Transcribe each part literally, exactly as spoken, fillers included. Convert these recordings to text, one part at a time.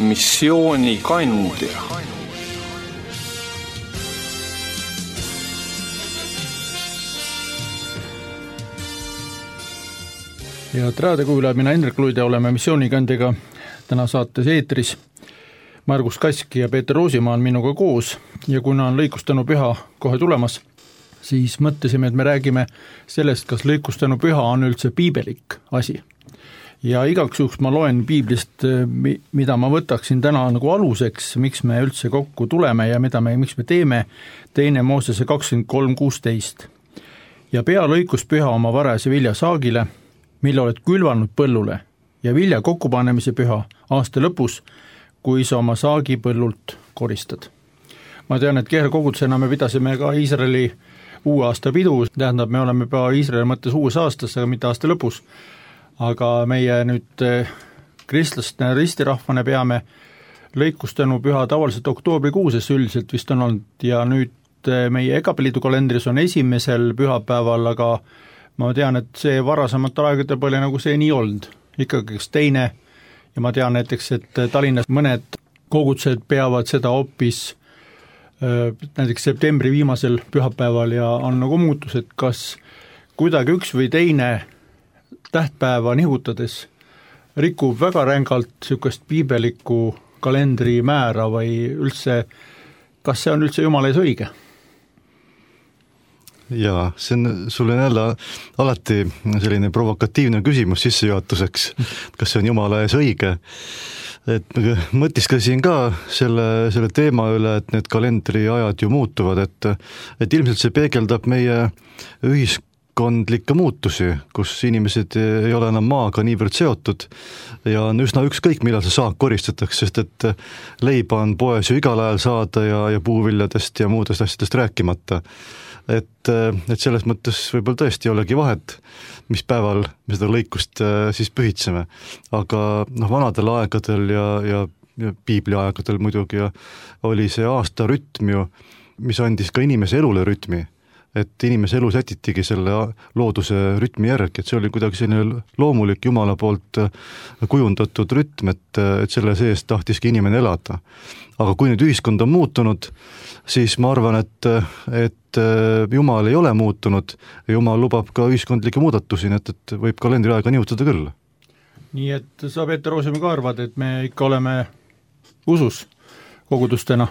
missioonikandja. Ja raadiokuulajad, mina Indrek Luid ja oleme missioonikandjaga täna saates eetris. Margus Kask ja Peeter Roosimaa on minuga koos ja kuna on lõikustanu püha kohe tulemas, siis mõtlesime, et me räägime sellest, kas lõikustanu püha on üldse piibelik asi. Ja igaks juhuks ma loen piiblist, mida ma võtaksin täna nagu aluseks, miks me üldse kokku tuleme ja mida me, miks me teeme, teine Moosese kakskümmend kolm kuusteist. Ja pea lõikus püha oma varajase vilja saagile, mille oled külvanud põllule ja vilja kokkupanemise püha aasta lõpus, kui sa oma saagi põllult koristad. Ma tean, et kehrkogudusena me pidasime ka Iisraeli uue aasta pidu, tähendab, me oleme juba Iisraeli mõttes uues aastas, aga mitte aasta lõpus. Aga meie nüüd kristlastena ristirahvane peame lõikustanu püha tavaliselt oktoobrikuuses üldiselt vist on olnud ja nüüd meie Egapeliidu kalendris on esimesel pühapäeval, aga ma tean, et see varasematel aegadel pole nagu see nii olnud. Ikkagi kas teine ja ma tean näiteks, et Tallinnas mõned kogudused peavad seda hoopis näiteks septembri viimasel pühapäeval ja on nagu muutus, et kas kuidagi üks või teine tähtpäeva nihutades rikub väga rängalt niisugust piibelikku kalendri määra või üldse, kas see on üldse Jumala ees õige? Jaa, see on, sul on jälle alati selline provokatiivne küsimus sissejuhatuseks, kas see on Jumala ees õige. Et mõtisklesin ka selle, selle teema üle, et need kalendri ajad ju muutuvad, et, et ilmselt see peegeldab meie ühiskondlikke muutusi, kus inimesed ei ole enam maaga niivõrd seotud ja on üsna ükskõik, millal see saak koristatakse, sest et leiba on poes ju igal ajal saada ja, ja puuviljadest ja muudest asjadest rääkimata. Et, et selles mõttes võib-olla tõesti ei olegi vahet, mis päeval me seda lõikust siis pühitseme. Aga noh, vanadel aegadel ja, ja, ja piibli aegadel muidugi ja oli see aasta rütm ju, mis andis ka inimese elule rütmi. Et inimese elu sätitigi selle looduse rütmi järgi, et see oli kuidagi selline loomulik Jumala poolt kujundatud rütm, et, et selle sees tahtiski inimene elada. Aga kui nüüd ühiskond on muutunud, siis ma arvan, et, et Jumal ei ole muutunud ja Jumal lubab ka ühiskondlikke muudatusi, et, et võib kalendriaega nihutada küll. Nii et sa, Peeter Roosimaa, ka arvad, et me ikka oleme usus kogudustena?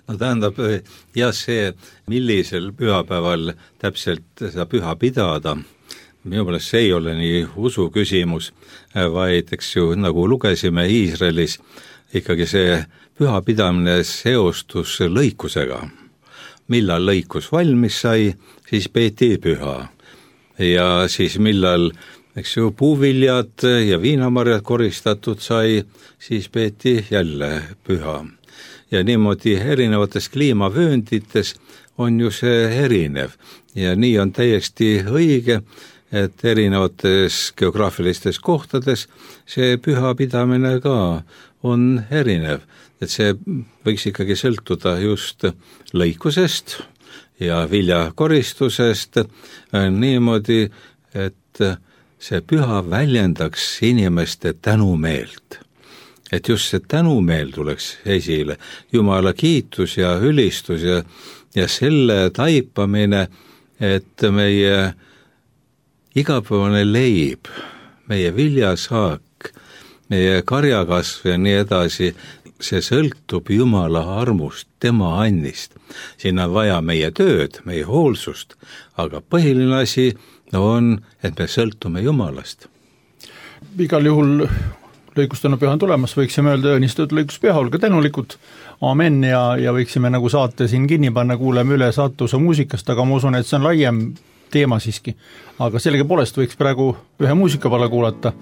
No tähendab, jah see, millisel pühapäeval täpselt seda püha pidada, minu meelest see ei ole nii usu küsimus, vaid eks ju, nagu lugesime Iisraelis, ikkagi see püha pidamine seostus lõikusega. Millal lõikus valmis sai, siis peeti püha. Ja siis millal, eks ju, puuviljad ja viinamarjad koristatud sai, siis peeti jälle püha. Ja niimoodi erinevates kliimavööndites on ju see erinev. Ja nii on täiesti õige, et erinevates geograafilistes kohtades see püha pidamine ka on erinev. Et see võiks ikkagi sõltuda just lõikusest ja viljakoristusest niimoodi, et see püha väljendaks inimeste tänumeelt. Et just see tänumeel tuleks esile, Jumala kiitus ja ülistus ja, ja selle taipamine, et meie igapäevane leib, meie viljasaak, meie karjakasv ja nii edasi, see sõltub Jumala armust, tema annist. Siin on vaja meie tööd, meie hoolsust, aga põhiline asi on, et me sõltume Jumalast. Igal juhul lõikustanu püha on tulemas, võiksime öelda õnnistatud lõikuspüha, olge tänulikud, amen, ja, ja võiksime nagu saate siin kinni panna, kuuleme üle saatuse muusikast, aga ma usun, et see on laiem teema siiski. Aga sellega poolest võiks praegu ühe muusikapala kuulata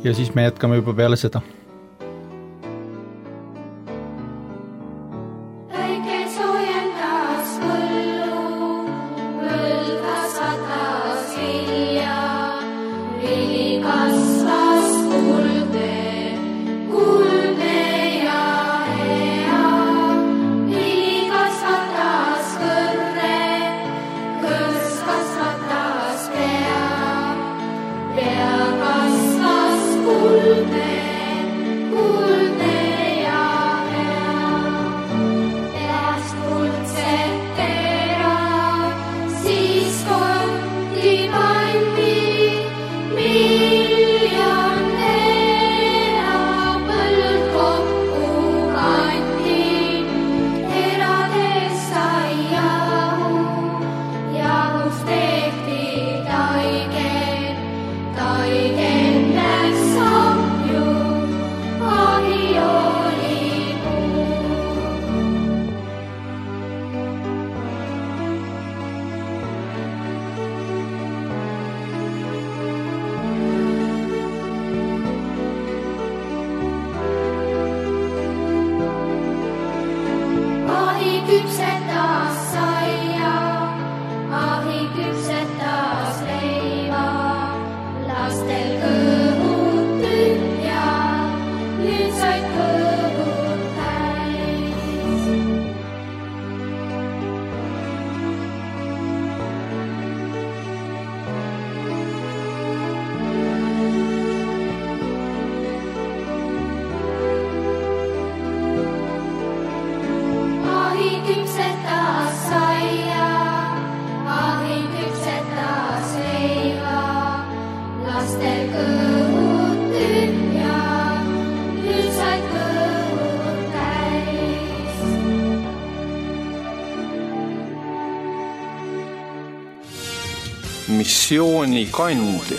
ja siis me jätkame juba peale seda. Pea kasvas kulme. missioonikandja.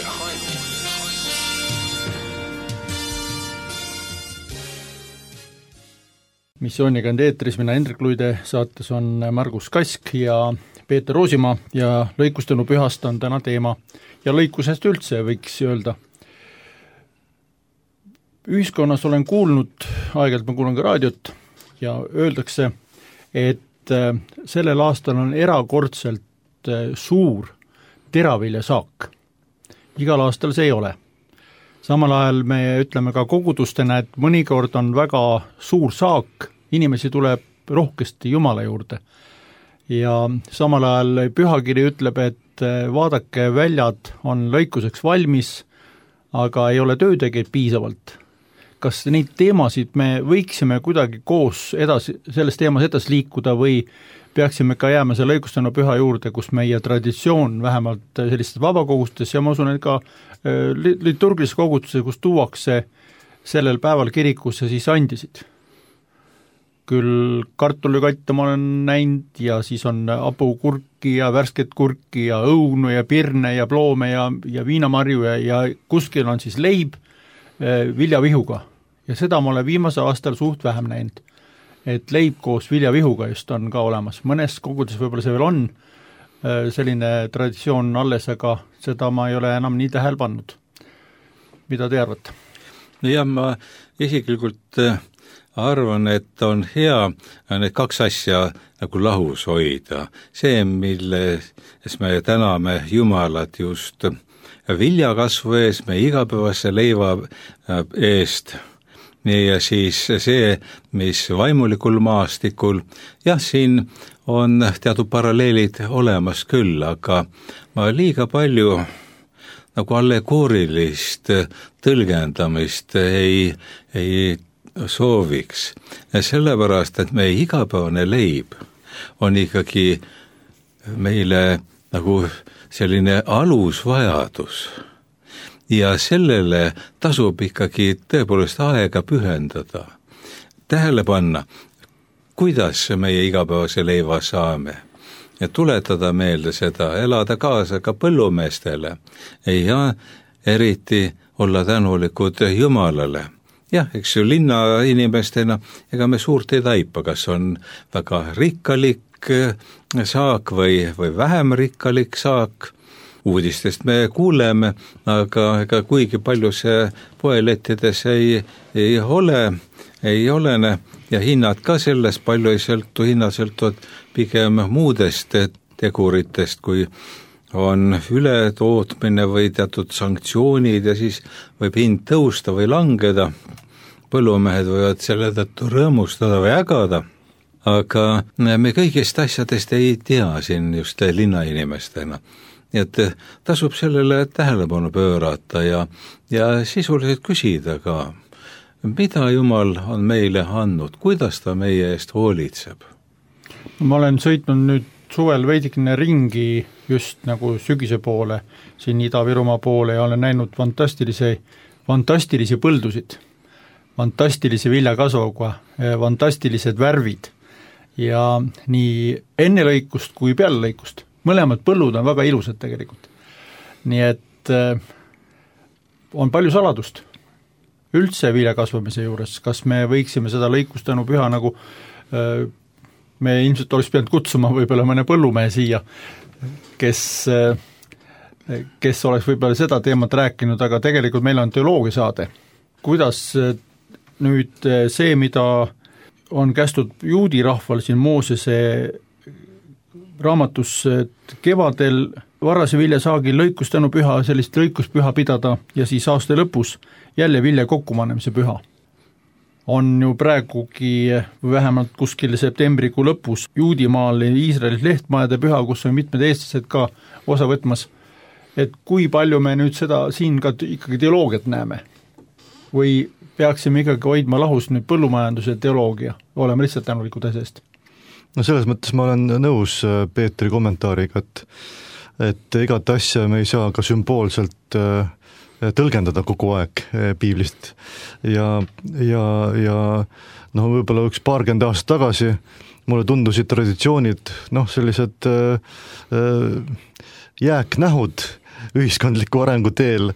Missioonikandja eetris, mina Hendrik Luide, saates on Margus Kask ja Peeter Roosimaa ja lõikustanu pühast on täna teema ja lõikusest üldse võiks öelda. Ühiskonnas olen kuulnud, aeg-ajalt ma kuulen ka raadiot ja öeldakse, et sellel aastal on erakordselt suur teraviljasaak. Igal aastal see ei ole. Samal ajal me ütleme ka kogudustena, et mõnikord on väga suur saak, inimesi tuleb rohkesti Jumala juurde. Ja samal ajal pühakiri ütleb, et vaadake, väljad on lõikuseks valmis, aga ei ole töötegijaid piisavalt. Kas neid teemasid me võiksime kuidagi koos edasi, selles teemas edasi liikuda või peaksime ka jääma selle lõikustanu püha juurde, kus meie traditsioon vähemalt sellistes vabakogustes ja ma usun, et ka liturgilises kogutuses, kus tuuakse sellel päeval kirikusse siis andisid. Küll kartulikatte ma olen näinud ja siis on apukurki ja värsket kurki ja õunu ja pirne ja ploome ja, ja viinamarju ja, ja kuskil on siis leib viljavihuga. Ja seda ma olen viimase aastal suht vähem näinud, et leib koos viljavihuga just on ka olemas. Mõnes kogudes võib-olla see veel on selline traditsioon alles, aga seda ma ei ole enam nii tähele pannud. Mida te arvate? Ja ma isiklikult arvan, et on hea need kaks asja nagu lahus hoida. See, milles me täname Jumalat just viljakasvu eest, me igapäevase leiva eest, ja siis see, mis vaimulikul maastikul, jah, siin on teatud paralleelid olemas küll, aga ma liiga palju nagu allegoorilist tõlgendamist ei, ei sooviks. Sellepärast, et meie igapäevane leib on ikkagi meile nagu selline alusvajadus. Ja sellele tasub ikkagi tõepoolest aega pühendada, tähele panna, kuidas meie igapäevase leiva saame ja tuletada meelde seda, elada kaasa ka põllumeestele ja eriti olla tänulikud Jumalale. Jah, eks ju linna inimestena, ega me suurt ei taipa, kas on väga rikkalik saak või, või vähem rikkalik saak. Uudistest me kuuleme, aga ega kuigi palju see poelettides ei, ei ole, ei olene ja hinnad ka sellest palju ei sõltu, hinnad sõltuvad pigem muudest teguritest, kui on ületootmine või teatud sanktsioonid ja siis võib hind tõusta või langeda. Põllumehed võivad selle tõttu rõõmustada või ägada, aga me kõigist asjadest ei tea siin just linnainimestena. Nii et tasub sellele tähelepanu pöörata ja, ja sisuliselt küsida ka, mida Jumal on meile andnud, kuidas ta meie eest hoolitseb. Ma olen sõitnud nüüd suvel veidikene ringi just nagu sügise poole, siin Ida-Virumaa poole ja olen näinud fantastilisi, fantastilisi põldusid, fantastilisi viljakasvuga, fantastilised värvid ja nii enne lõikust kui peale lõikust. Mõlemad põllud on väga ilusad tegelikult. Nii et äh, on palju saladust üldse viljakasvamise juures. Kas me võiksime seda lõikustanu püha nagu äh, me ilmselt oleks pidanud kutsuma võib-olla mõne põllumehe siia, kes, äh, kes oleks võib-olla seda teemat rääkinud, aga tegelikult meil on teoloogia saade. Kuidas äh, nüüd äh, see, mida on kästud juudi rahval siin Moosese raamatus kevadel varase viljasaagil lõikustanu püha, sellist lõikuspüha pidada ja siis aasta lõpus jälle vilja kokkumanemise püha. On ju praegugi vähemalt kuskil septembrikuu lõpus Juudimaal Iisraelis lehtmajade püha, kus on mitmed eestlased ka osa võtmas. Et kui palju me nüüd seda siin ka ikkagi teoloogiat näeme? Või peaksime ikkagi hoidma lahus nüüd põllumajanduse teoloogia, oleme lihtsalt tänulikud asjast? No selles mõttes ma olen nõus Peetri kommentaariga, et, et igat asja me ei saa ka sümboolselt tõlgendada kogu aeg piiblist ja, ja, ja noh, võib-olla üks paarkümmend aastat tagasi mulle tundusid traditsioonid noh, sellised jääknähud ühiskondliku arengu teel,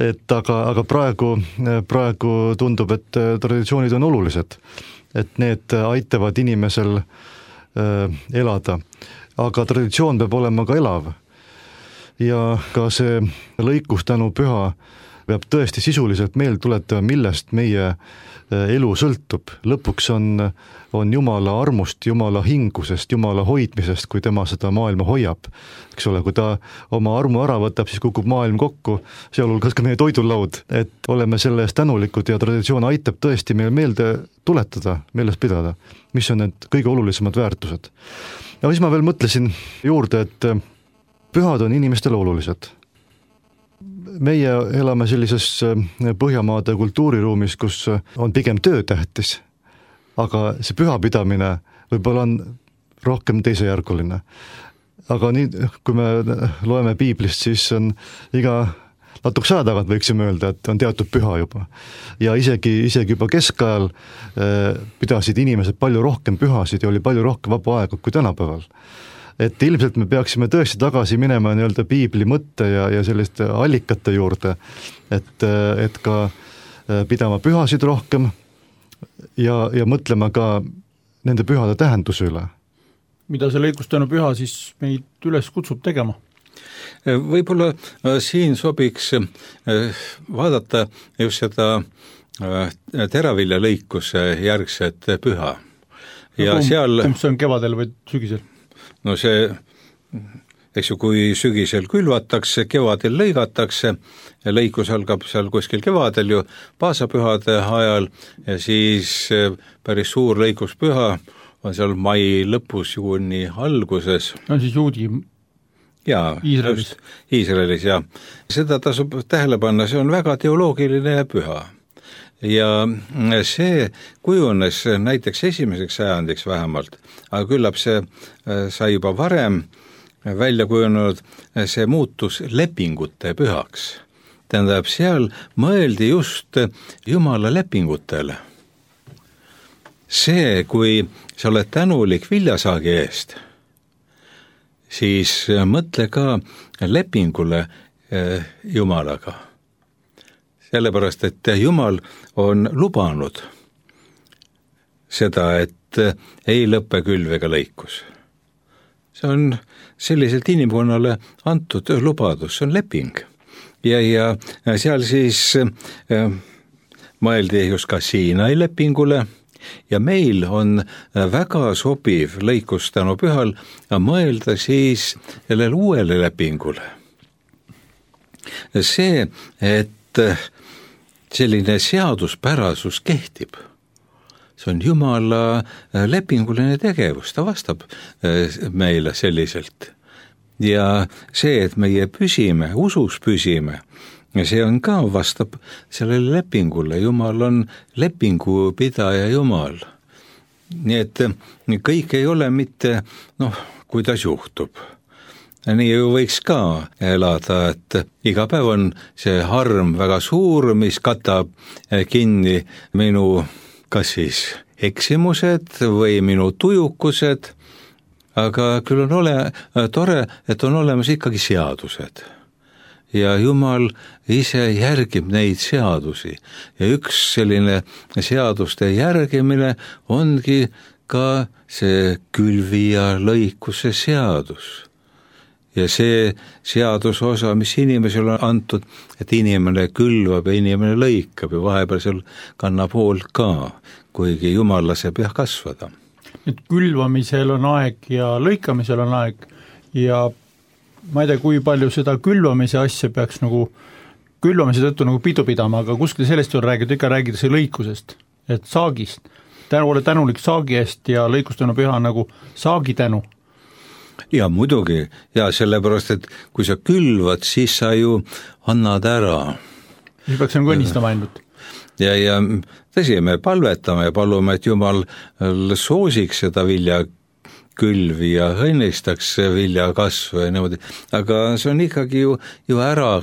et aga, aga praegu, praegu tundub, et traditsioonid on olulised, et need aitavad inimesel elada. Aga traditsioon peab olema ka elav ja ka see lõikustänu püha peab tõesti sisuliselt meelde tuletama, millest meie elu sõltub. Lõpuks on, on Jumala armust, Jumala hingusest, Jumala hoidmisest, kui tema seda maailma hoiab. Eks ole, kui ta oma armu ära võtab, siis kukub maailm kokku, sealhulgas ka meie toidulaud, et oleme selle eest tänulikud ja traditsioon aitab tõesti meil meelde tuletada, meeles pidada, mis on need kõige olulisemad väärtused. Ja siis ma veel mõtlesin juurde, et pühad on inimestele olulised. Meie elame sellises Põhjamaade kultuuriruumis, kus on pigem töötähtis, aga see pühapidamine võib-olla on rohkem teisejärguline. Aga nii, kui me loeme piiblist, siis on iga natukese aja tagant võiksime öelda, et on teatud püha juba. Ja isegi, isegi juba keskajal pidasid inimesed palju rohkem pühasid ja oli palju rohkem vaba aega kui tänapäeval. Et ilmselt me peaksime tõesti tagasi minema nii-öelda piibli mõtte ja, ja selliste allikate juurde, et, et ka pidama pühasid rohkem ja, ja mõtlema ka nende pühade tähenduse üle. Mida see lõikustanu püha siis meid üles kutsub tegema? Võib-olla siin sobiks vaadata just seda teravilja lõikuse järgset püha. Ja kumb, seal... kumb see on kevadel või sügisel? No see, eks ju, kui sügisel külvatakse, kevadel lõigatakse, lõikus algab seal kuskil kevadel ju paasapühade ajal ja siis päris suur lõikuspüha on seal mai lõpus, juuni alguses. On siis juudi jaa, Iisraelis. Iisraelis, jah. Seda tasub tähele panna, see on väga teoloogiline püha. Ja see kujunes näiteks esimeseks sajandiks vähemalt, aga küllap see sai juba varem välja kujunenud, see muutus lepingute pühaks. Tähendab, seal mõeldi just Jumala lepingutele. See, kui sa oled tänulik viljasaagi eest, siis mõtle ka lepingule Jumalaga. Sellepärast, et Jumal on lubanud seda, et ei lõppe külv ega lõikus. See on selliselt inimkonnale antud lubadus, see on leping. Ja, ja seal siis mõeldi just ka Siinai lepingule ja meil on väga sobiv lõikustanu pühal mõelda siis sellele uuele lepingule. See, et selline seaduspärasus kehtib. See on Jumala lepinguline tegevus, ta vastab meile selliselt. Ja see, et meie püsime, usus püsime, see on ka vastab sellele lepingule. Jumal on lepingupidaja Jumal. Nii et kõik ei ole mitte, noh, kuidas juhtub. Nii ju võiks ka elada, et iga päev on see harm väga suur, mis katab kinni minu kas siis eksimused või minu tujukused, aga küll on ole, tore, et on olemas ikkagi seadused. Ja Jumal ise järgib neid seadusi ja üks selline seaduste järgimine ongi ka see külvi ja lõikuse seadus. Ja see seadusosa, mis inimesel on antud, et inimene külvab ja inimene lõikab ja vahepeal seal kannab hoolt ka, kuigi Jumal laseb jah kasvada. Et külvamisel on aeg ja lõikamisel on aeg ja ma ei tea, kui palju seda külvamise asja peaks nagu, külvamise tõttu nagu pidu pidama, aga kuskil sellest on räägitud, ikka räägitakse lõikusest, et saagist. Tänu ole tänulik saagi eest ja lõikustanu püha nagu saagi tänu. Ja muidugi, ja sellepärast, et kui sa külvad, siis sa ju annad ära. Siis peaks nagu õnnistama ainult. Ja, ja tõsi, me palvetame ja palume, et Jumal soosiks seda vilja külvi ja õnnistaks vilja kasvu ja niimoodi, aga see on ikkagi ju, ju ära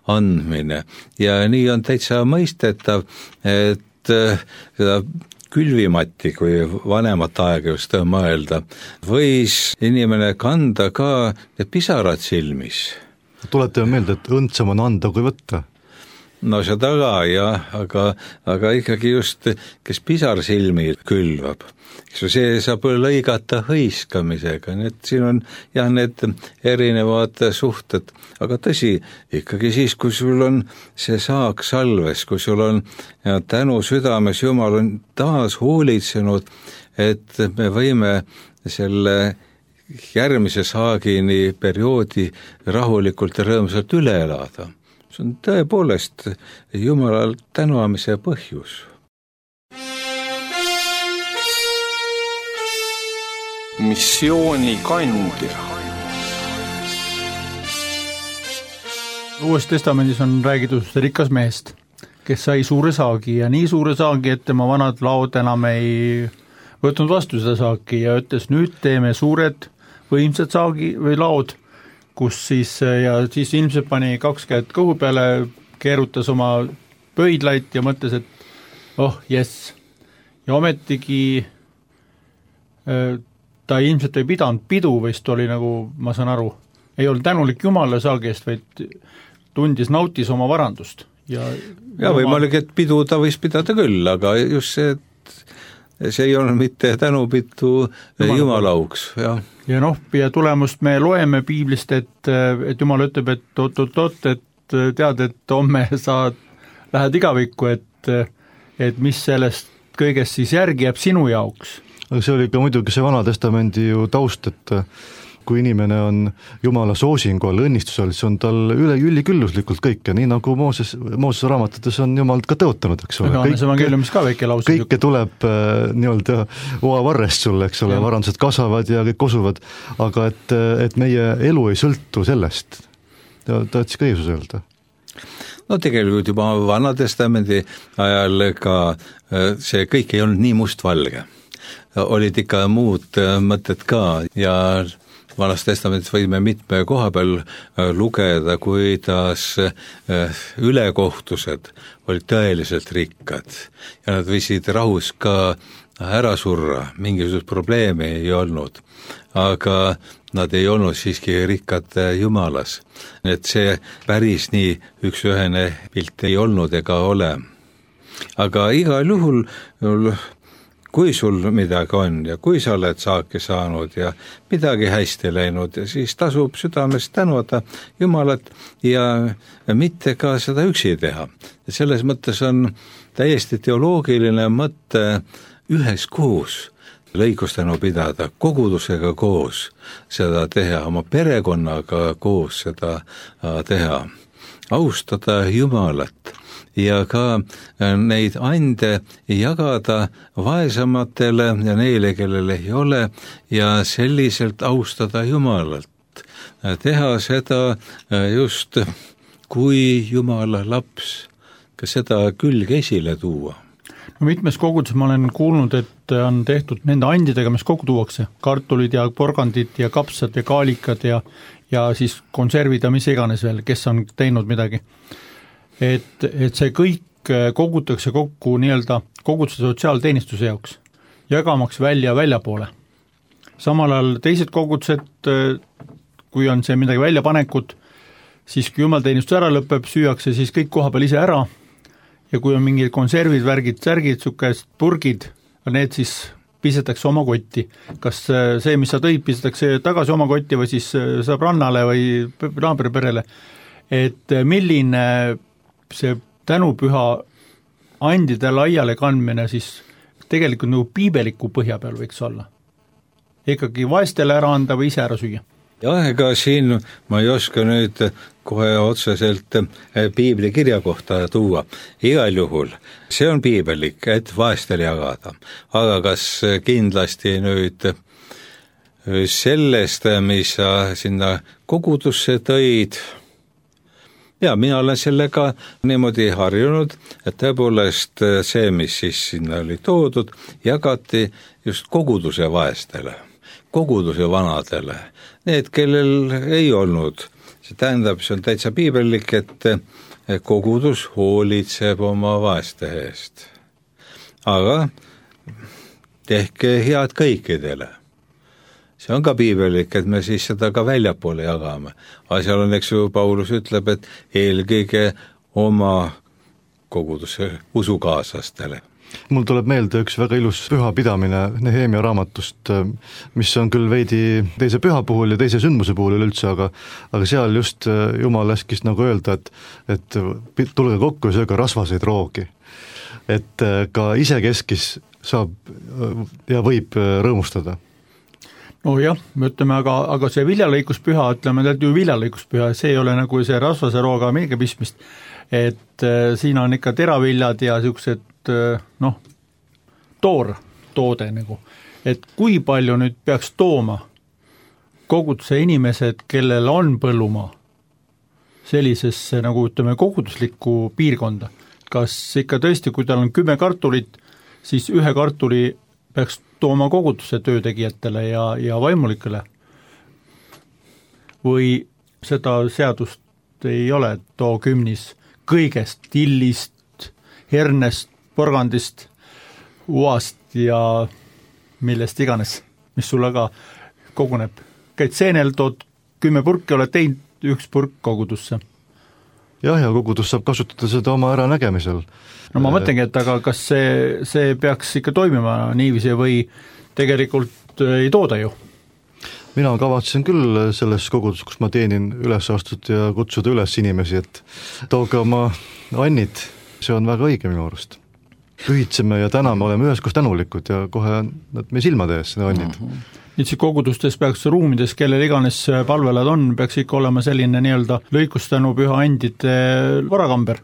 andmine ja nii on täitsa mõistetav, et seda külvimatti, kui vanemat aega just mõelda, võis inimene kanda ka pisarad silmis. Tuletame meelde, et õndsam on anda kui võtta. No seda ka, jah, aga, aga ikkagi just, kes pisar silmi külvab, see saab lõigata hõiskamisega, nii et siin on jah, need erinevad suhted, aga tõsi, ikkagi siis, kui sul on see saak salves, kui sul on ja tänu südames, Jumal on taas hoolitsenud, et me võime selle järgmise saagini perioodi rahulikult ja rõõmsalt üle elada. See on tõepoolest Jumalal tänuamise põhjus. Missioonikandja. Uues testamendis on räägitud rikas mehest, kes sai suure saagi ja nii suure saagi, et tema vanad laod enam ei võtnud vastu seda saaki ja ütles, nüüd teeme suured võimsad saagi või laod, kus siis, ja siis ilmselt pani kaks käed kõhu peale, keerutas oma pöidlaid ja mõtles, et oh, jess. Ja ometigi ta ilmselt ei pidanud pidu, vist oli nagu, ma saan aru, ei olnud tänulik Jumala saagi eest, vaid tundis, nautis oma varandust. Ja, ja võimalik, et pidu ta võis pidada küll, aga just see, et see ei olnud mitte tänupidu Jumala auks, jah. Ja noh, ja tulemust me loeme piiblist, et, et Jumal ütleb, et oot-oot-oot, et tead, et homme sa lähed igavikku, et, et mis sellest kõigest siis järgi jääb sinu jaoks. Aga see oli ka muidugi see Vana Testamendi ju taust, et kui inimene on Jumala soosingu all, õnnistusel, siis on tal üle ülikülluslikult kõike, nii nagu Mooses, Mooses raamatutes on Jumal ka tõotanud, eks ole. Kõik, ka väike lause, kõike tuleb äh, nii-öelda oavarrest sulle, eks ole, varandused kasvavad ja kõik kosuvad, aga et, et meie elu ei sõltu sellest. Ta, ta ütles ka Jeesus öelda. No tegelikult juba Vana Testamendi ajal ka see kõik ei olnud nii mustvalge. Olid ikka muud mõtted ka ja Vanas Testamendis võime mitme koha peal lugeda, kuidas ülekohtused olid tõeliselt rikkad ja nad võisid rahus ka ära surra, mingisugust probleemi ei olnud, aga nad ei olnud siiski rikkad Jumalas. Et see päris nii üks-ühene pilt ei olnud ega ole. Aga igal juhul kui sul midagi on ja kui sa oled saaki saanud ja midagi hästi läinud, siis tasub südames tänada Jumalat ja mitte ka seda üksi teha. Selles mõttes on täiesti teoloogiline mõte üheskoos lõikustanu pidada, kogudusega koos seda teha, oma perekonnaga koos seda teha, austada Jumalat ja ka neid ande jagada vaesamatele ja neile, kellel ei ole, ja selliselt austada Jumalalt. Teha seda just kui Jumala laps, ka seda külge esile tuua. No mitmes koguduses ma olen kuulnud, et on tehtud nende andidega, mis kokku tuuakse, kartulid ja porgandid ja kapsad ja kaalikad ja, ja siis konservid ja mis iganes veel, kes on teinud midagi. Et, et see kõik kogutakse kokku nii-öelda koguduse sotsiaalteenistuse jaoks, jagamaks välja väljapoole. Samal ajal teised kogudused, kui on see midagi väljapanekut, siis kui jumalteenistus ära lõpeb, süüakse siis kõik koha peal ise ära ja kui on mingid konservid, värgid, särgid, sukest purgid, need siis pisetakse oma kotti. Kas see, mis sa tõid, pisetakse tagasi oma kotti või siis sõbrannale või naabriperele, et milline see tänupüha andide laiale kandmine siis tegelikult nagu piibeliku põhja peal võiks olla. Ikkagi vaestele ära anda või ise ära süüa. Jah, ega siin ma ei oska nüüd kohe otseselt piibli kirja kohta tuua. Igal juhul see on piibelik, et vaestele jagada. Aga kas kindlasti nüüd sellest, mis sa sinna kogudusse tõid, ja mina olen sellega niimoodi harjunud, et tõepoolest see, mis siis sinna oli toodud, jagati just koguduse vaestele, koguduse vanadele, need, kellel ei olnud. See tähendab, see on täitsa piibelik, et kogudus hoolitseb oma vaeste eest. Aga tehke head kõikidele. See on ka piibelik, et me siis seda ka väljapoole jagame. Aga seal on, eks ju, Paulus ütleb, et eelkõige oma koguduse usukaaslastele. Mul tuleb meelde üks väga ilus pühapidamine Nehemia raamatust, mis on küll veidi teise püha puhul ja teise sündmuse puhul üleüldse, aga, aga seal just Jumal laskis nagu öelda, et, et tulge kokku ja sööge rasvaseid roogi. Et ka isekeskis saab ja võib rõõmustada. No jah, me ütleme, aga, aga see viljalõikuspüha, ütleme, et ju viljalõikuspüha, see ei ole nagu see rasvase rooga mingi pistmist, et äh, siin on ikka teraviljad ja niisugused noh, toor toode nagu, et kui palju nüüd peaks tooma koguduse inimesed, kellel on põllumaa sellisesse nagu ütleme koguduslikku piirkonda. Kas ikka tõesti, kui tal on kümme kartulit, siis ühe kartuli peaks tooma koguduse töötegijatele ja, ja vaimulikele? Või seda seadust ei ole, et too kümnis kõigest, tillist, hernest, porgandist, uast ja millest iganes, mis sulle ka koguneb. Käid seenel, tood kümme purki, oled teinud üks purk kogudusse. Jah, ja kogudus saab kasutada seda oma äranägemisel. No ma mõtlengi, et aga kas see, see peaks ikka toimima niiviisi või tegelikult ei tooda ju? Mina kavatsen küll selles kogudus, kus ma teenin üles astud ja kutsuda üles inimesi, et tooge oma annid, see on väga õige minu arust. Pühitseme ja täname, oleme üheskoos tänulikud ja kohe nad meie silmade ees, need annid. Uh-huh. Nüüd siis kogudustes peaks ruumides, kellel iganes palvelad on, peaks ikka olema selline nii-öelda lõikustänu püha andide varakamber,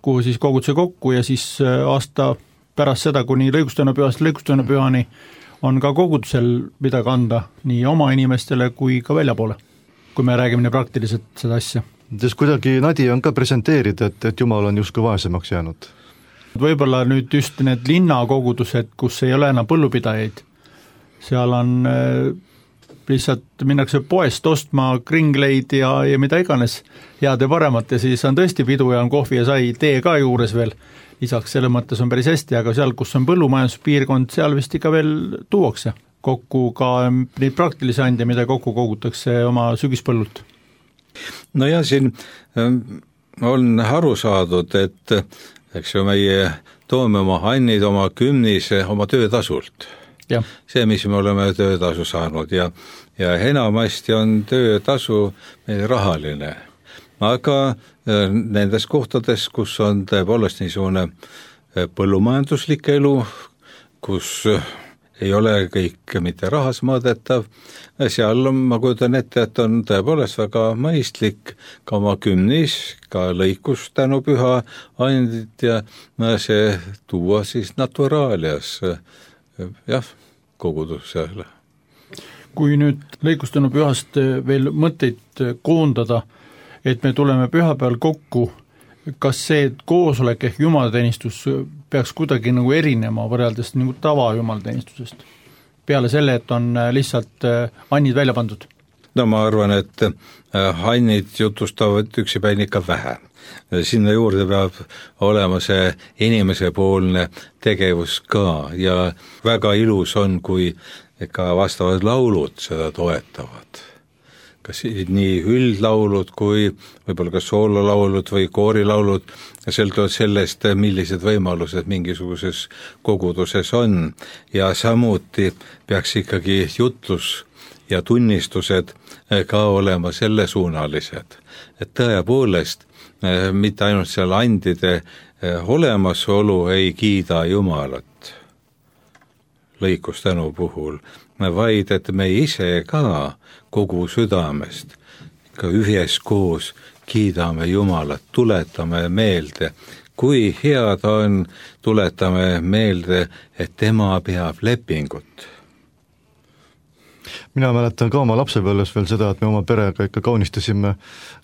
kuhu siis koguduse kokku ja siis aasta pärast seda, kuni lõikustänu pühast lõikustänu pühani on ka kogudusel midagi anda nii oma inimestele kui ka väljapoole, kui me räägime nii praktiliselt seda asja. Sest kuidagi nadi on ka presenteerida, et, et Jumal on justkui vaesemaks jäänud. Võib-olla nüüd just need linnakogudused, kus ei ole enam põllupidajaid, seal on äh, lihtsalt minnakse poest ostma kringleid ja, ja mida iganes head ja paremat ja siis on tõesti pidu ja on kohvi ja sai, tee ka juures veel. Lisaks selle mõttes on päris hästi, aga seal, kus on põllumajanduspiirkond, seal vist ikka veel tuuakse kokku ka neid praktilisi ande, mida kokku kogutakse oma sügispõllult. No ja siin on aru saadud, et eks ju meie toome oma annid, oma kümnise, oma töötasult. Ja. See, mis me oleme töötasu saanud ja, ja enamasti on töötasu meil rahaline. Aga nendes kohtades, kus on tõepoolest niisugune põllumajanduslik elu, kus ei ole kõik mitte rahas mõõdetav, seal on, ma kujutan ette, et on tõepoolest väga mõistlik ka oma kümnis, ka lõikus tänu püha andid ja see tuua siis naturaalias, jah, kogudusele. Kui nüüd lõikustanu pühast veel mõtteid koondada, et me tuleme pühapäeval kokku, kas see koosolek ehk jumalateenistus peaks kuidagi nagu erinema võrreldes nagu tava jumalateenistusest? Peale selle, et on lihtsalt annid välja pandud? No ma arvan, et annid jutustavad üksipäin ikka vähe. Sinna juurde peab olema see inimesepoolne tegevus ka ja väga ilus on, kui ka vastavad laulud seda toetavad. Kas nii üldlaulud kui võib-olla ka soololaulud või koorilaulud, sõltuvad sellest, millised võimalused mingisuguses koguduses on ja samuti peaks ikkagi jutlus ja tunnistused ka olema sellesuunalised, et tõepoolest mitte ainult seal andide olemasolu ei kiida Jumalat lõikustänu puhul, vaid et me ise ka kogu südamest ka üheskoos kiidame Jumalat, tuletame meelde, kui head on, tuletame meelde, et tema peab lepingut. Mina mäletan ka oma lapsepõlves veel seda, et me oma perega ikka kaunistasime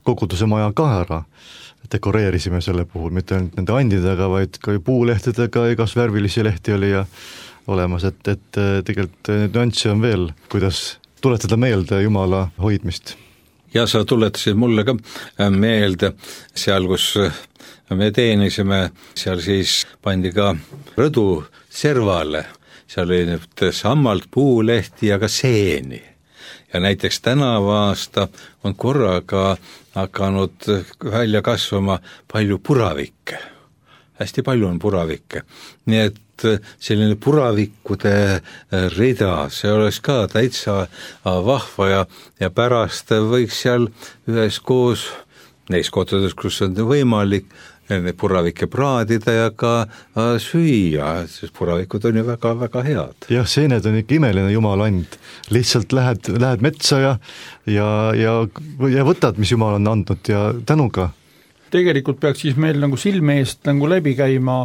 koguduse maja ka ära, dekoreerisime selle puhul, mitte ainult nende andidega, vaid ka puulehtedega, igas värvilisi lehti oli ja olemas, et, et tegelikult nüanssi on veel, kuidas tuletada meelde Jumala hoidmist. Ja sa tuletasid mulle ka meelde seal, kus me teenisime, seal siis pandi ka rõdu servale seal oli sammalt puulehti ja ka seeni. Ja näiteks tänavu aasta on korraga hakanud välja kasvama palju puravikke. Hästi palju on puravikke. Nii et selline puravikkude rida, see oleks ka täitsa vahva ja, ja pärast võiks seal ühes koos, neis kohtades, kus on võimalik, puravikke praadida ja ka süüa, sest puravikud on ju väga, väga head. Jah, seened on ikka imeline jumala and. Lihtsalt lähed, lähed metsa ja, ja, ja, ja võtad, mis jumal on andnud ja tänuga. Tegelikult peaks siis meil nagu silme eest nagu läbi käima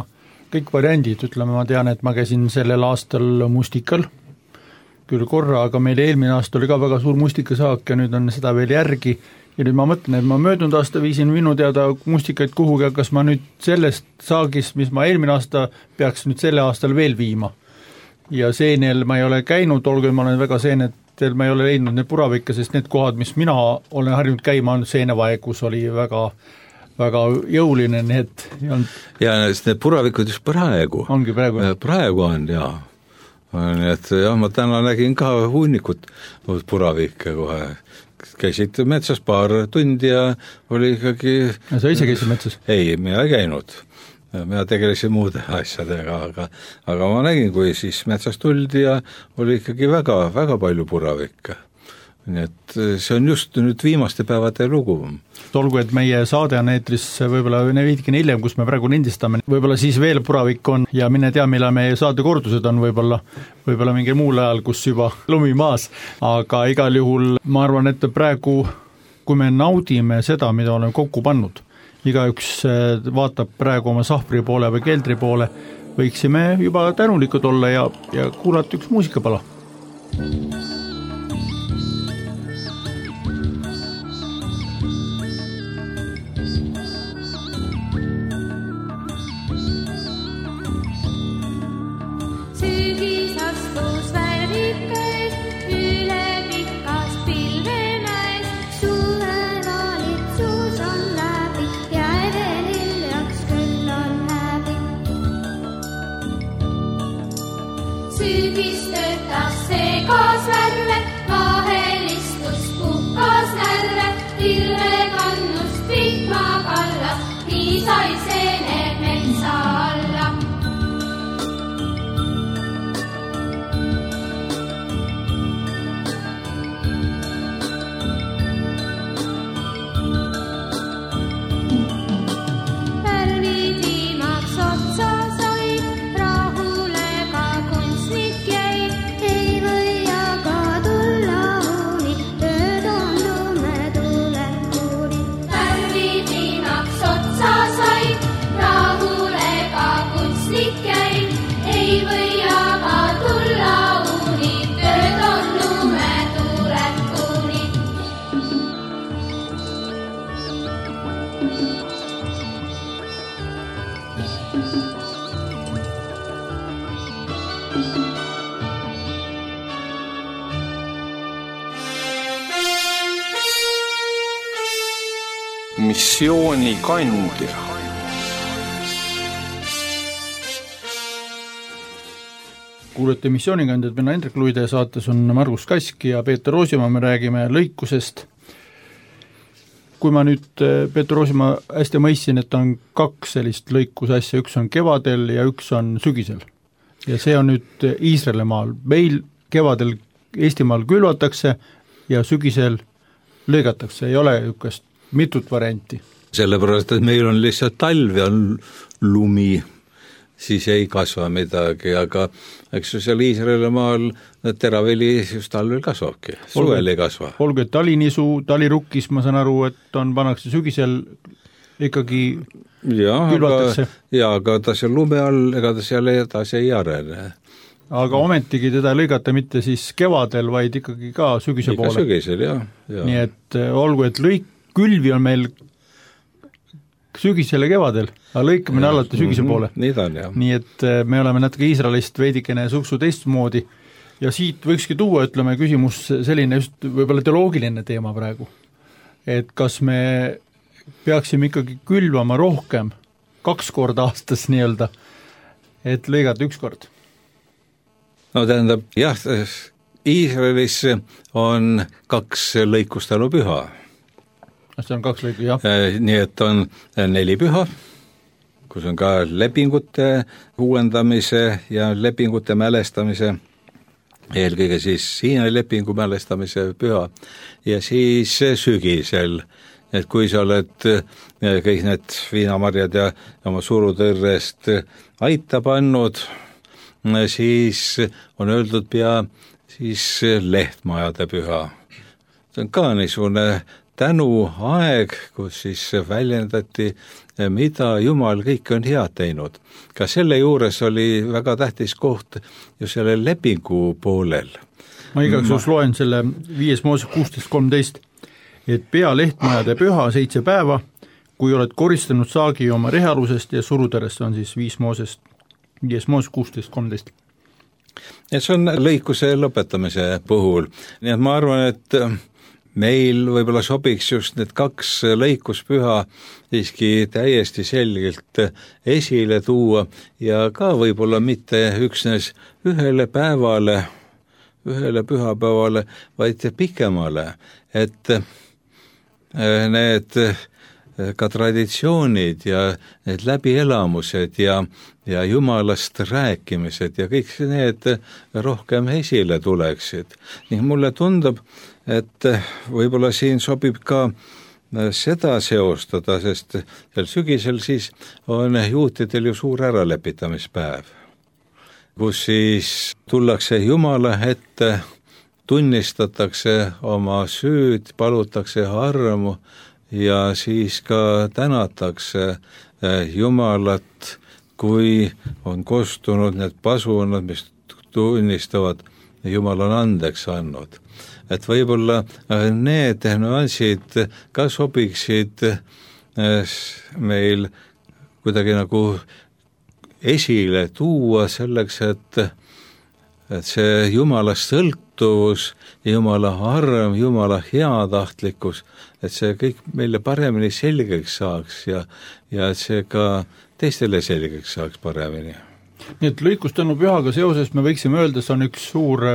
kõik variandid, ütleme, ma tean, et ma käisin sellel aastal mustikal, küll korra, aga meil eelmine aasta oli ka väga suur mustikasaak ja nüüd on seda veel järgi. Ja nüüd ma mõtlen, et ma möödunud aasta viisin minu teada mustikaid kuhugi, kas ma nüüd sellest saagist, mis ma eelmine aasta peaks nüüd selle aastal veel viima. Ja seenel ma ei ole käinud, olgu ma olen väga seenetel, ma ei ole leidnud need puravikke, sest need kohad, mis mina olen harjunud käima, on seenevaeg, kus oli väga, väga jõuline, need ei olnud. Ja need puravikud just praegu. Ongi praegu. Praegu on, jaa. Nii et jah, ma täna nägin ka hunnikut puravikke kohe. Käisid metsas paar tundi ja oli ikkagi... Ja sa ise käisid metsas? Ei, mina ei käinud. Mina tegelesin muude asjadega, aga, aga ma nägin, kui siis metsas tuldi ja oli ikkagi väga, väga palju puravikke. Nii et see on just nüüd viimaste päevade lugu. Olgu, et meie saade on eetris võib-olla veidikene hiljem, kus me praegu lindistame, võib-olla siis veel puravik on ja mine tea, millal meie saade kordused on võib-olla, võib-olla mingi muul ajal, kus juba lumi maas, aga igal juhul ma arvan, et praegu, kui me naudime seda, mida oleme kokku pannud, igaüks vaatab praegu oma sahvri poole või keldri poole, võiksime juba tänulikud olla ja, ja kuulata üks muusikapala. Missiooni kandja. Kuulete missioonikandjad, mina Hendrik Luide, saates on Margus Kask ja Peeter Roosimaa, me räägime lõikusest. Kui ma nüüd Peeter Roosimaa hästi mõistsin, et on kaks sellist lõikusasja, üks on kevadel ja üks on sügisel. Ja see on nüüd Iisraelimaal. Meil kevadel Eestimaal külvatakse ja sügisel lõigatakse, ei ole ükast mitut varianti. Sellepärast, et meil on lihtsalt talv ja lumi, siis ei kasva midagi, aga eks seal Iisraelimaal teraveli just talvel kasvabki, suvel ei kasva. Olgu, et talinisu, talirukkis, ma saan aru, et on pannakse sügisel ikkagi ja, külvatakse. Aga, ja, aga ta seal lume all, ega ta seal edasi ei arene. Aga ometigi teda lõigata mitte siis kevadel, vaid ikkagi ka sügise Ikka poole. sügisel, jah. Ja. Nii et olgu, et lõik, külvi on meil sügisel ja kevadel, aga lõikamine ja, alati sügise poole. Mm-hmm, nii ta on, jah. Nii et me oleme natuke Iisraelist veidikene suksu teistmoodi ja siit võikski tuua, ütleme, küsimus selline just võib-olla teoloogiline teema praegu. Et kas me peaksime ikkagi külvama rohkem kaks korda aastas nii-öelda, et lõigata üks kord? no tähendab, jah, Iisraelis on kaks lõikustänupüha. See on kaks lõiku, jah. Nii et on neli püha, kus on ka lepingute uuendamise ja lepingute mälestamise, eelkõige siis Siina lepingu mälestamise püha, ja siis sügisel, et kui sa oled kõik need viinamarjad ja oma surutõrrest aita pannud, siis on öeldud pea siis lehtmajade püha. See on ka niisugune tänuaeg, kus siis väljendati, mida Jumal kõik on head teinud. Ka selle juures oli väga tähtis koht ju selle lepingu poolel. Ma igaks juhus loen selle viies Mooses kuusteist kolmteist, et pea lehtmajade püha seitse päeva, kui oled koristanud saagi oma rehalusest ja surutõrest, on siis viis Moosest, viies Mooses kuusteist kolmteist. Ja see on lõikuse lõpetamise puhul. Nii et ma arvan, et meil võib-olla sobiks just need kaks lõikuspüha siiski täiesti selgelt esile tuua ja ka võib-olla mitte üksnes ühele päevale, ühele pühapäevale, vaid pikemale, et need ka traditsioonid ja need läbielamused ja, ja Jumalast rääkimised ja kõik need rohkem esile tuleksid. Ning mulle tundub, et võib-olla siin sobib ka seda seostada, sest sel sügisel siis on juutidel ju suur äralepitamispäev, kus siis tullakse Jumala ette, tunnistatakse oma süüd, palutakse armu ja siis ka tänatakse Jumalat, kui on kostunud need pasunad, mis tunnistavad, Jumal on andeks andnud. Et võib-olla need nüansid ka sobiksid meil kuidagi nagu esile tuua selleks, et, et see Jumala sõltuvus, Jumala arm, Jumala heatahtlikkus, et see kõik meile paremini selgeks saaks ja, ja et see ka teistele selgeks saaks paremini. Nii et lõikustanu pühaga seoses me võiksime öelda, see on üks suur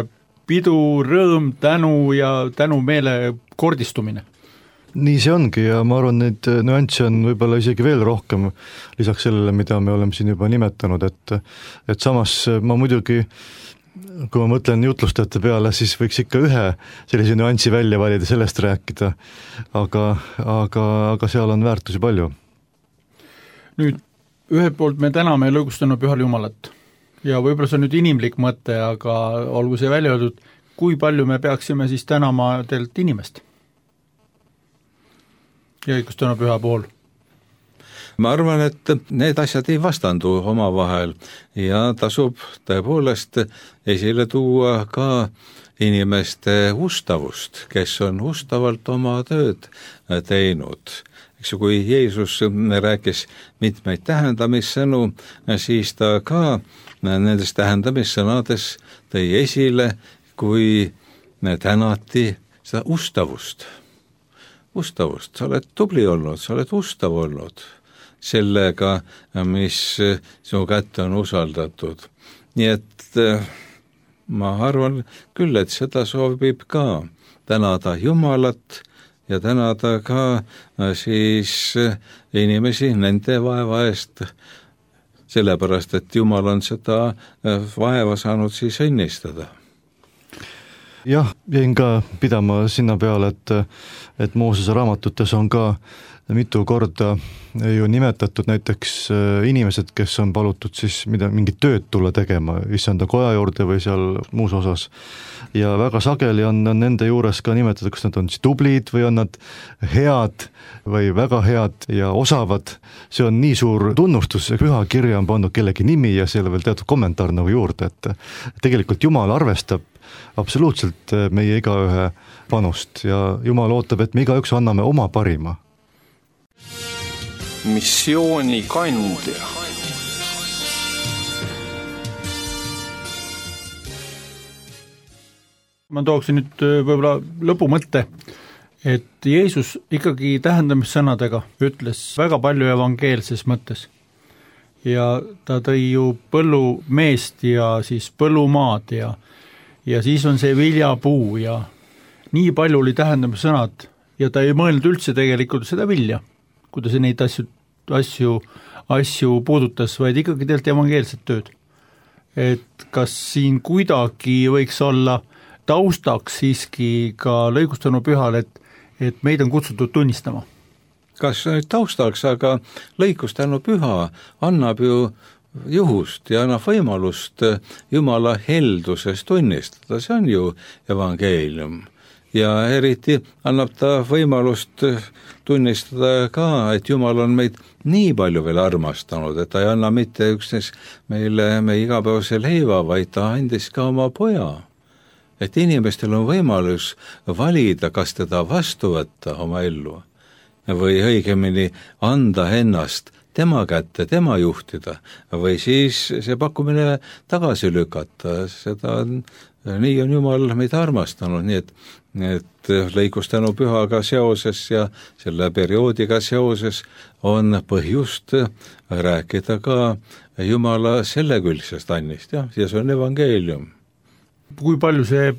pidu, rõõm, tänu ja tänumeele kordistumine. Nii see ongi ja ma arvan, neid nüansse on võib-olla isegi veel rohkem lisaks sellele, mida me oleme siin juba nimetanud, et, et samas ma muidugi, kui ma mõtlen jutlustajate peale, siis võiks ikka ühe sellise nüansi välja valida, sellest rääkida, aga, aga, aga seal on väärtusi palju. Nüüd, ühelt poolt me täname lõigustanu pühal Jumalat ja võib-olla see on nüüd inimlik mõte, aga olgu see välja öeldud, kui palju me peaksime siis tänama teilt inimest lõigustanu püha pool? Ma arvan, et need asjad ei vastandu omavahel ja tasub tõepoolest esile tuua ka inimeste ustavust, kes on ustavalt oma tööd teinud. Eks ju, kui Jeesus rääkis mitmeid tähendamissõnu, siis ta ka nendes tähendamissõnades tõi esile, kui tänati seda ustavust. Ustavust, sa oled tubli olnud, sa oled ustav olnud sellega, mis sinu kätte on usaldatud. Nii et ma arvan küll, et seda soovib ka tänada Jumalat ja tänada ka siis inimesi nende vaeva eest, sellepärast, et Jumal on seda vaeva saanud siis õnnistada. Jah, jäin ka pidama sinna peale, et, et Moosese raamatutes on ka mitu korda ju nimetatud näiteks inimesed, kes on palutud siis mida, mingit tööd tulla tegema, issanda koja juurde või seal muus osas. Ja väga sageli on, on nende juures ka nimetatud, kas nad on siis tublid või on nad head või väga head ja osavad. See on nii suur tunnustus, püha kirja on pandud kellegi nimi ja seal veel teatud kommentaar nagu juurde, et tegelikult Jumal arvestab absoluutselt meie igaühe panust ja Jumal ootab, et me igaüks anname oma parima. Missiooni kandja. Ma tooksin nüüd võib-olla lõpumõtte, et Jeesus ikkagi tähendamissõnadega ütles väga palju evangeelses mõttes. ja ta tõi ju põllumeest ja siis põllumaad ja, ja siis on see viljapuu ja nii palju oli tähendama sõnad ja ta ei mõelnud üldse tegelikult seda vilja, kui ta neid asju, asju, asju puudutas, vaid ikkagi tegelikult evangeelset tööd. Et kas siin kuidagi võiks olla taustaks siiski ka lõigustanu pühal, et, et meid on kutsutud tunnistama? Kas nüüd taustaks, aga lõikustanu püha annab ju juhust ja annab võimalust Jumala helduses tunnistada, see on ju evangeelium. Ja eriti annab ta võimalust tunnistada ka, et Jumal on meid nii palju veel armastanud, et ta ei anna mitte üksnes meile meie igapäevase leiva, vaid ta andis ka oma poja. Et inimestel on võimalus valida, kas teda vastu võtta oma ellu või õigemini anda ennast tema kätte, tema juhtida või siis see pakkumine tagasi lükata, seda on, nii on Jumal meid armastanud, nii et, et lõikustanu pühaga seoses ja selle perioodiga seoses on põhjust rääkida ka Jumala sellekülgsest annist, jah, ja see on evangeelium. Kui palju see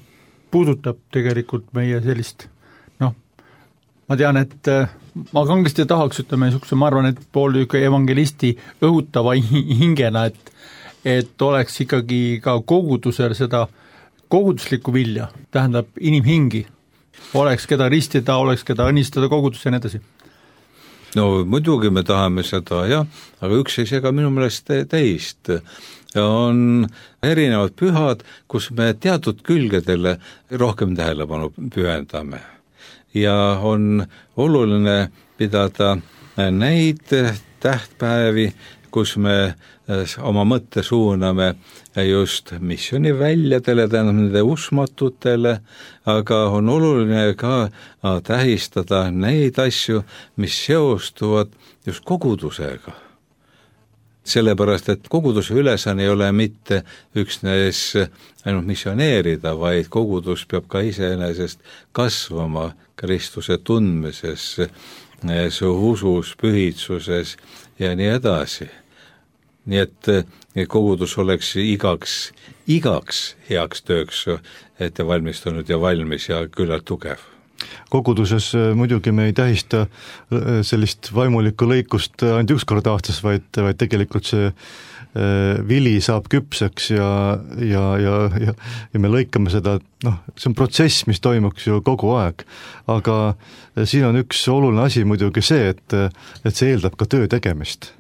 puudutab tegelikult meie sellist, noh, ma tean, et ma kangesti tahaks, ütleme, niisuguse, ma arvan, et pool evangelisti õhutava hingena, et, et oleks ikkagi ka kogudusel seda koguduslikku vilja, tähendab inimhingi, oleks keda ristida, oleks keda õnnistada kogudus ja nii edasi. No muidugi me tahame seda, jah, aga üks ei sega minu meelest teist. On erinevad pühad, kus me teatud külgedele rohkem tähelepanu pühendame. Ja on oluline pidada neid tähtpäevi, kus me oma mõtte suuname just missiooni väljadele, tähendab nende usmatutele, aga on oluline ka tähistada neid asju, mis seostuvad just kogudusega. Sellepärast, et koguduse ülesanne ei ole mitte üksnes ainult missioneerida, vaid kogudus peab ka iseenesest kasvama Kristuse tundmises, usus, pühitsuses ja nii edasi. Nii et kogudus oleks igaks, igaks heaks tööks ette valmistunud ja valmis ja küllalt tugev. Koguduses muidugi me ei tähista sellist vaimulikku lõikust ainult üks kord aastas, vaid, vaid tegelikult see vili saab küpseks ja, ja, ja, ja, ja me lõikame seda, noh, see on protsess, mis toimuks ju kogu aeg. Aga siin on üks oluline asi muidugi see, et, et see eeldab ka töö tegemist.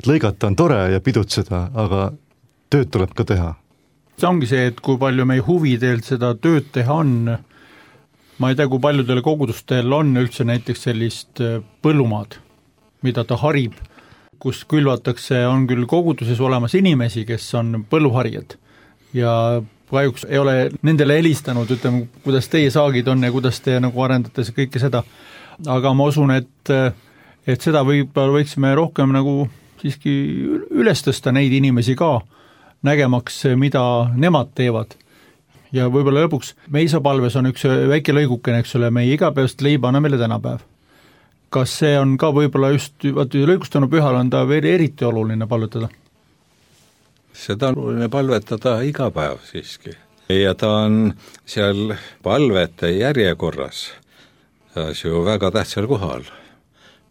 Et lõigata on tore ja pidutseda, aga tööd tuleb ka teha. See ongi see, et kui palju meie huvidelt seda tööd teha on. Ma ei tea, kui paljudel kogudustel on üldse näiteks sellist põllumaad, mida ta harib, kus külvatakse, on küll koguduses olemas inimesi, kes on põlluharijad ja kahjuks ei ole nendele helistanud, ütleme, kuidas teie saagid on ja kuidas te nagu arendate kõike seda, aga ma usun, et, et seda võib-olla võiksime rohkem nagu siiski üles tõsta neid inimesi ka, nägemaks, mida nemad teevad. Ja võib-olla lõpuks meisapalves on üks väike lõigukene, eks ole, meie igapäevast leiba anname meile tänapäev. Kas see on ka võib-olla just, vaata, lõigustanu pühal on ta veel eriti oluline palvetada? Seda on oluline palvetada iga päev siiski. Ja ta on seal palvete järjekorras ju väga tähtsal kohal.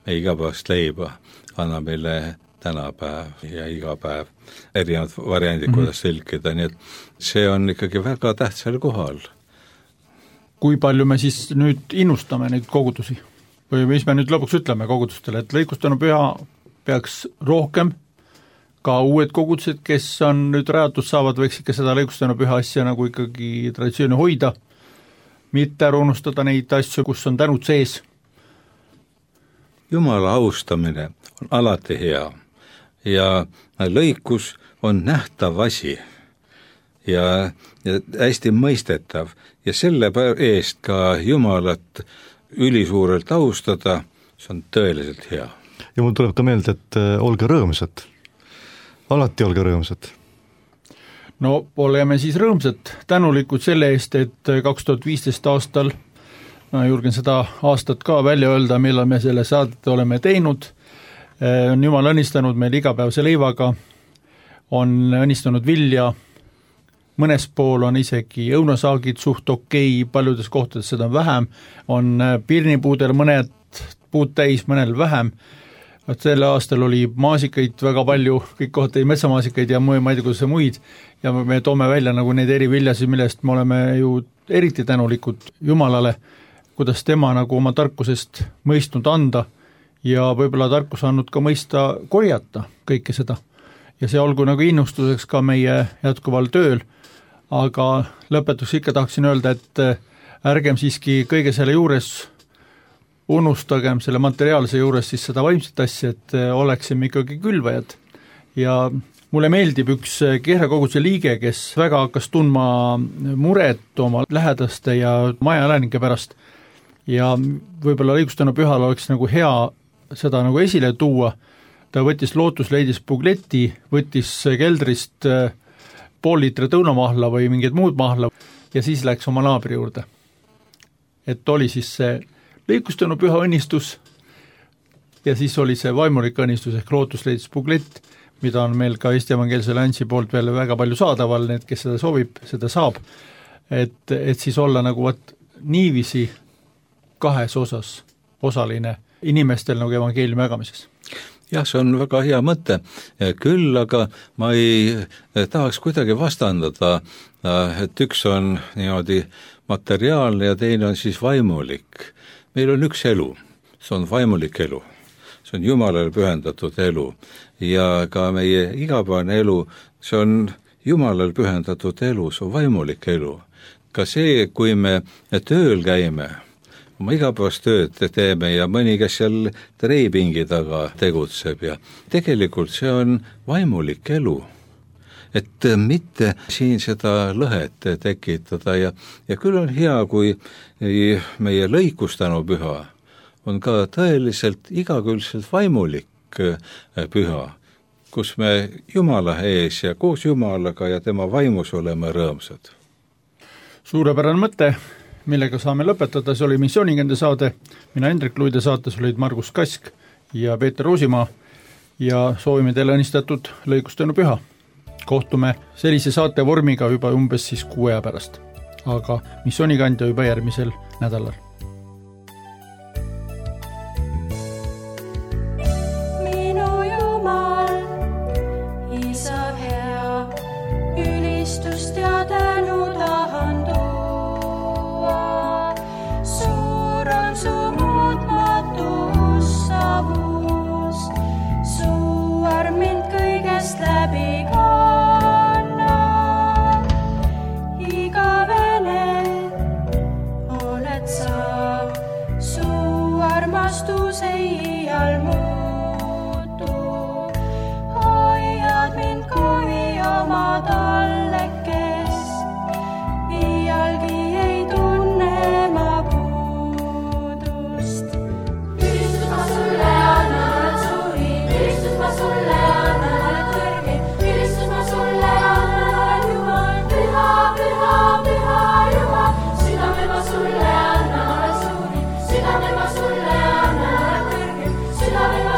Me igapäevast leiba anna meile tänapäev ja iga päev erinevad variandid, kuidas tõlkida, nii et see on ikkagi väga tähtsal kohal. Kui palju me siis nüüd innustame neid kogudusi? Või mis me nüüd lõpuks ütleme kogudustele, et lõikustanu püha peaks rohkem, ka uued kogudused, kes on nüüd rajatud saavad, võiks ikka seda lõikustanu püha asja nagu ikkagi traditsiooni hoida, mitte ära unustada neid asju, kus on tänud sees. Jumala austamine on alati hea ja lõikus on nähtav asi ja, ja hästi mõistetav ja selle eest ka Jumalat ülisuurelt austada, see on tõeliselt hea. Ja mul tuleb ka meelde, et olge rõõmsad. Alati olge rõõmsad. No oleme siis rõõmsad, tänulikud selle eest, et kaks tuhat viisteist aastal, ma julgen seda aastat ka välja öelda, millal me selle saadet oleme teinud, on Jumal õnnistanud meil igapäevase leivaga, on õnnistanud vilja, mõnes pool on isegi õunasaagid suht okei, paljudes kohtades seda on vähem, on pirnipuudel mõned puud täis, mõnel vähem. Selle aastal oli maasikaid väga palju, kõik kohad tõi metsamaasikaid ja muu, ma ei tea, kuidas muid, ja me toome välja nagu neid eri viljasid, millest me oleme ju eriti tänulikud Jumalale, kuidas tema nagu oma tarkusest mõistnud anda ja võib-olla tarkus andnud ka mõista korjata kõike seda. Ja see olgu nagu innustuseks ka meie jätkuval tööl, aga lõpetuseks ikka tahaksin öelda, et ärgem siiski kõige selle juures unustagem selle materiaalse juures siis seda vaimset asja, et oleksime ikkagi külvajad. Ja mulle meeldib üks Kehra koguduse liige, kes väga hakkas tundma muret oma lähedaste ja majaelanike pärast ja võib-olla õigustanud pühal oleks nagu hea seda nagu esile tuua. Ta võttis lootusleidis pugleti, võttis keldrist pool liitrit õunamahla või mingid muud mahla ja siis läks oma naabri juurde. Et oli siis see lõikustanu püha õnnistus ja siis oli see vaimulik õnnistus ehk lootusleidis puglett, mida on meil ka Eesti Evangeelse Alliansi poolt veel väga palju saadaval, need, kes seda soovib, seda saab, et, et siis olla nagu võt, niivisi kahes osas osaline inimestel nagu evangeeliumi jagamises. Jah, see on väga hea mõte, küll aga ma ei tahaks kuidagi vastandada, et üks on niimoodi materiaalne ja teine on siis vaimulik. Meil on üks elu, see on vaimulik elu, see on Jumalale pühendatud elu ja ka meie igapäevane elu, see on Jumalale pühendatud elu, see on vaimulik elu. Ka see, kui me tööl käime, oma igapäevast tööd teeme ja mõni, kes seal treipingi taga tegutseb ja tegelikult see on vaimulik elu. Et mitte siin seda lõhet tekitada ja, ja küll on hea, kui meie lõikustanu püha on ka tõeliselt igakülgselt vaimulik püha, kus me Jumala ees ja koos Jumalaga ja tema vaimus oleme rõõmsad. Suurepärane mõte, millega saame lõpetada, see oli Missioonikande saade, mina Hendrik Luide saates olid Margus Kask ja Peeter Roosimaa ja soovime teile õnnistatud lõikustanu püha. Kohtume sellise saate vormiga juba umbes siis kuu aja pärast, aga Missioonikandja juba järgmisel nädalal. Minu Jumal, Isa hea, ülistust ja tänu tahan tuua. Suur on su muutmatu ussavus, su arm mind kõigest läbi ka. Armastus ei iial muutu, hoiad mind kui oma tallekest, iialgi ei tunne ma puudust. Ülistus ma sulle annan, oled suurim, ülistus ma sulle annan, oled kõrgim, ülistus ma sulle annan, oled Jumal, püha, püha, püha Jumal, südame ma sulle annan, oled suurim, südame ma sulle annan, oled kõrgim, südame ma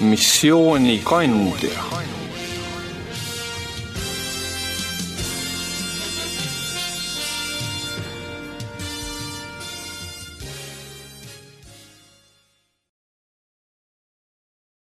missioonikandja